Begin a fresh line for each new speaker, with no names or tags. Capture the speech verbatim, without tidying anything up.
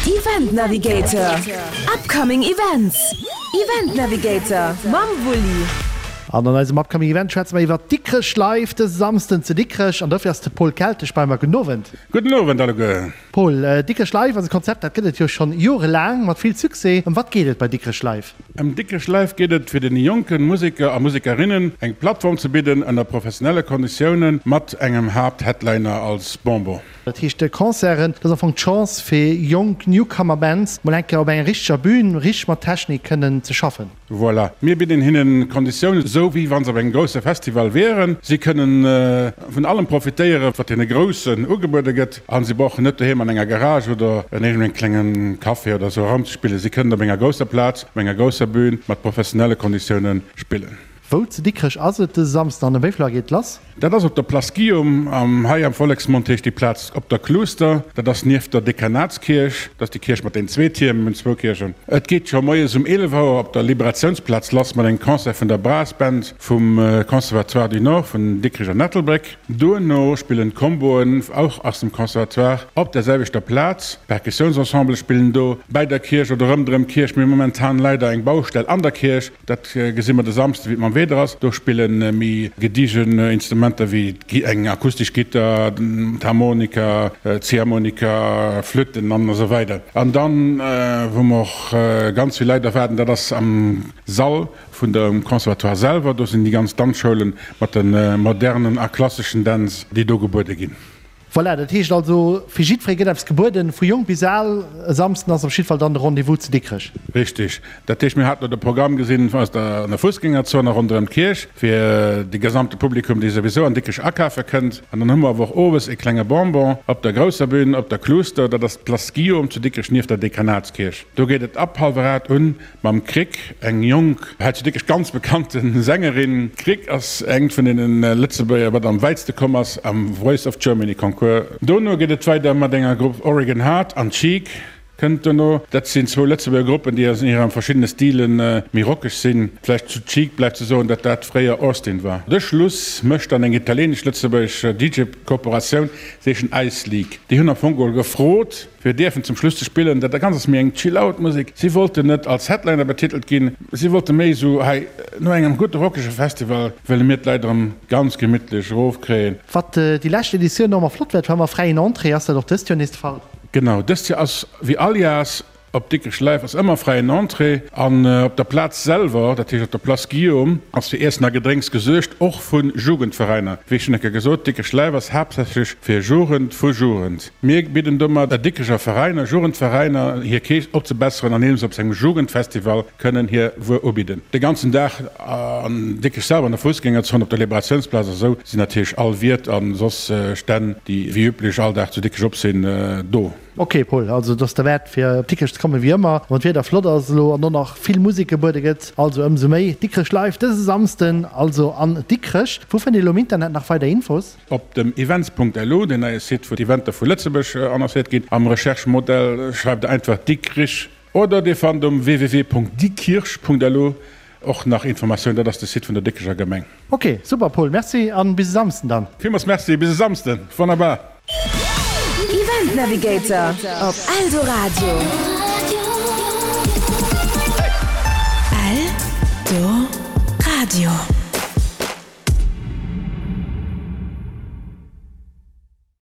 Event Navigator, Upcoming Events, Event Navigator mam Wulli.
An an eisem Upcoming Event schwätze mer iwwer Dikrech Live dëse Samsden zu Dikrech. An dofir ass de Paul Keltesch bei mer. Gudden Owend.
Gudden Owend alleguer.
Paul, Dikrech Live ass e Konzept, dat gëtt et jo schonn jorelaang mat vill Succès. Ëm wat geet et bei Dikrech Live?
Ëm Dikrech Live geet et, fir deene jonke Museker a Musekerinnen eng Plattform ze bidden ënner professionelle Konditioune mat engem Haapt-Headliner als Bonbon.
Dat heescht, Concerten, dat ass am Fong d'Chance fir jonk Newcomer-Bands mol eng Kéier op enger richteger Bün, richteg mat Technik kënnen ze schaffen.
Voilà. Mir bidden hinnen Konditiounen, esou wéi wa se op engem grousse Festival wieren. Si kënnen vun allem profitéieren, wat deene Groussen ugebuede gëtt. A si brauchen net doheem an enger Garage oder an iergendengem klenge Café oder esou erëmzespillen. Si kënnen op enger grousser Plaz, op enger grousser Bün mat professionelle Konditioune spillen.
Wou zu Dikrech ass et dëse Samsden an ëm wéi vill Auer geet et lass?
Dat ass op der Place Guillaume, am hei am Volleksmond heescht déi Plaz Op der Kluuster. Dat ass nieft der Dekanatskierch, dat ass déi Kierch mat den zwee Tierm, mir hunn zwou Kierchen. Et geet scho moies um eelef Auer op der Liberatiounsplaz lass mat engem Concert vun der Brass Band vum Conservatoire du Nord vun Dikrech an Ettelbréck. Duerno spillen d'Comboen, och aus dem Conservatoire, op der selwechter Plaz. Perkussiounsensembele spillen do bäi der Kierch oder rëmderëm d'Kierch. Mir hu momentan leider eng Baustell an der Kierch. Dat gesi mer de Samsden, wéi et mam Wieder ass. Do spille méi gediegen Instrumenter wéi eng akustesch Gittar, d'Harmonika, d'Ziehharmonika, Flütten an esou weider. An dann, wou mer och ganz vill Leit erwaarden, dat ass am Sall vun dem Conservatoire selwer. Do sinn déi ganz Danzschoulen mat de modernen a klasseschen Dänz, déi do gebuede ginn.
Voilà, dat heescht also, fir jiddweree gëtt eppes gebueden, vu jonk bis al. E Samsden ass op jiddwer Fall dann de Rendez-vous zu Dikrech.
Richtig. Dat heescht, mir haten elo de Programm gesinn aus der, an der Fussgängerzon a ronderëm d'Kierch, fir de gesamte Publikum, dee souwisou an Dikrech akafe kënnt. An dann hu mer awer och owes e klenge Bonbon op der grousser Bün op der Kluuster, dat ass d'Place Guillaume zu Dikrech nieft der Dekanatskierch. Do geet et ab hallwer aacht un mam Krick, eng jonk, hei zu Dikrech ganz bekannte Sängerin. D'Krick ass eng vun deene Lëtzebuerger, wat am wäitste komm ass am Voice of Germany Concours. Dono geet et weider mat enger Grupp Oregon Heart an Cheek kënnt dono. Dat sinn zwou Lëtzebuerger Gruppen, déi an hire verschiddene Stile méi rockeg sinn. Vläicht zu Cheek bleift ze soen, datt dat fréier Austin war. De Schluss mécht dann eng italieenesch-lëtzebuergesch DJ-Kooperatioun, se heeschen Ice League. Déi hunn am Fong geholl gefrot, fir dierfen zum Schluss ze spillen. Dat Ganzt ass méi eng Chill-Out-Musek. Si wollten net als Headliner betitelt ginn, si wollte méi esou, hei no engem gudde rockege Festival wëlle mir d'Leit erëm ganz gemittlech erofkréien.
Wat déi lescht Editioun och ëmmer flott war, et war ëmmer fräien Entrée. Ass dat och dëst Joer nees de Fall?
Genau, dëst Joer ass wéi all Jahrs op Dikrech Live ass ëmmer fräien Entrée an op der Plaz selwer, dat heescht op der Place Guillaume, ass fir Iessen a Gedrénks gesuergt, och vu Jugendveräiner. Wéi schonn eng Kéier gesot, Dikrech Live ass haaptsächlech fir Jugend vu Jugend. Mir bidden domat der Dikrecher Veräiner, Jugendveräiner, hir Keess opzebesseren andeems se op engem Jugendfestival kënnen hir Wuer ubidden. De ganzen Dag an Dikrech selwer, an der Foussgängerzon, op der Liberatiounsplaz a sou sinn natierlech all Wiert a soss Stänn, déi wéi üblech all Dag zu Dikrech op sinn, do.
Ok Paul, also et ass derwäert fir op Dikrech ze kommen, wéi ëmmer, wann d'Wieder flott ass elo an och nach vill Musek gebuede gëtt, also ëmsou méi. Dikrech Live dëse Samsden also an Dikrech. Wou fënnt een elo am Internet nach weider Infos?
Op dem events.lu, deen neie Site wou d'Eventer vu Lëtzebuerg annoncéiert ginn, am Recherche-Modell schreift der einfach Dikrich oder dir fannt um www.diekirch.lu och nach Informatioun, dat ass de Site vun der Dikrecher Gemeng.
Ok, super Paul, merci an bis e Samsden dann.
Villmools Merci, bis e Samsden, wonnerbar.
Event Navigator op Eldoradio. Eldoradio.